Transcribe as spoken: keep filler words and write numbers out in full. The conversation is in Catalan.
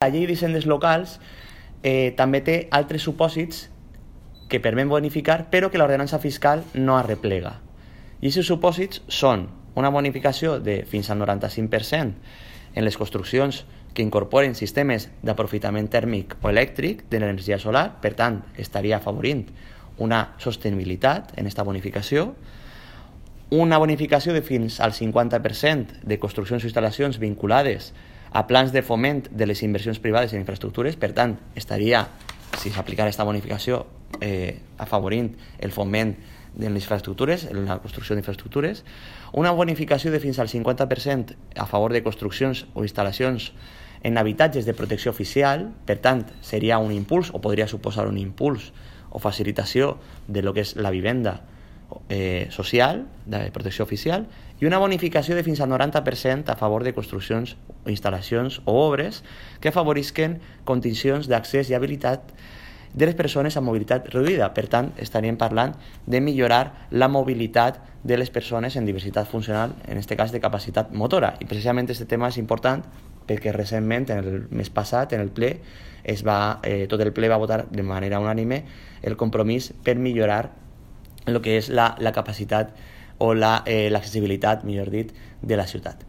La llei d'hisendes locals eh, també té altres supòsits que permet bonificar, però que l'ordenança fiscal no arreplega. I aquests supòsits són una bonificació de fins al noranta-cinc per cent en les construccions que incorporen sistemes d'aprofitament tèrmic o elèctric de l'energia solar, per tant, estaria afavorint una sostenibilitat en aquesta bonificació, una bonificació de fins al cinquanta per cent de construccions o instal·lacions vinculades a plans de foment de les inversions privades en infraestructures, per tant, estaria, si s'aplicara aquesta bonificació, eh, afavorint el foment de les infraestructures, en la construcció d'infraestructures, una bonificació de fins al cinquanta per cent a favor de construccions o instal·lacions en habitatges de protecció oficial, per tant, seria un impuls o podria suposar un impuls o facilitació de lo que és la vivenda eh, social, de protecció oficial, i una bonificació de fins al noranta per cent a favor de construccions, instal·lacions o obres que afavorisquen condicions d'accés i habilitat de les persones amb mobilitat reduïda. Per tant, estaríem parlant de millorar la mobilitat de les persones en diversitat funcional, en aquest cas de capacitat motora. I precisament aquest tema és important perquè recentment, en el mes passat, en el ple, es va, eh, tot el ple va votar de manera unànime el compromís per millorar el que és la, la capacitat o l'accessibilitat, la, eh, millor dit, de la ciutat.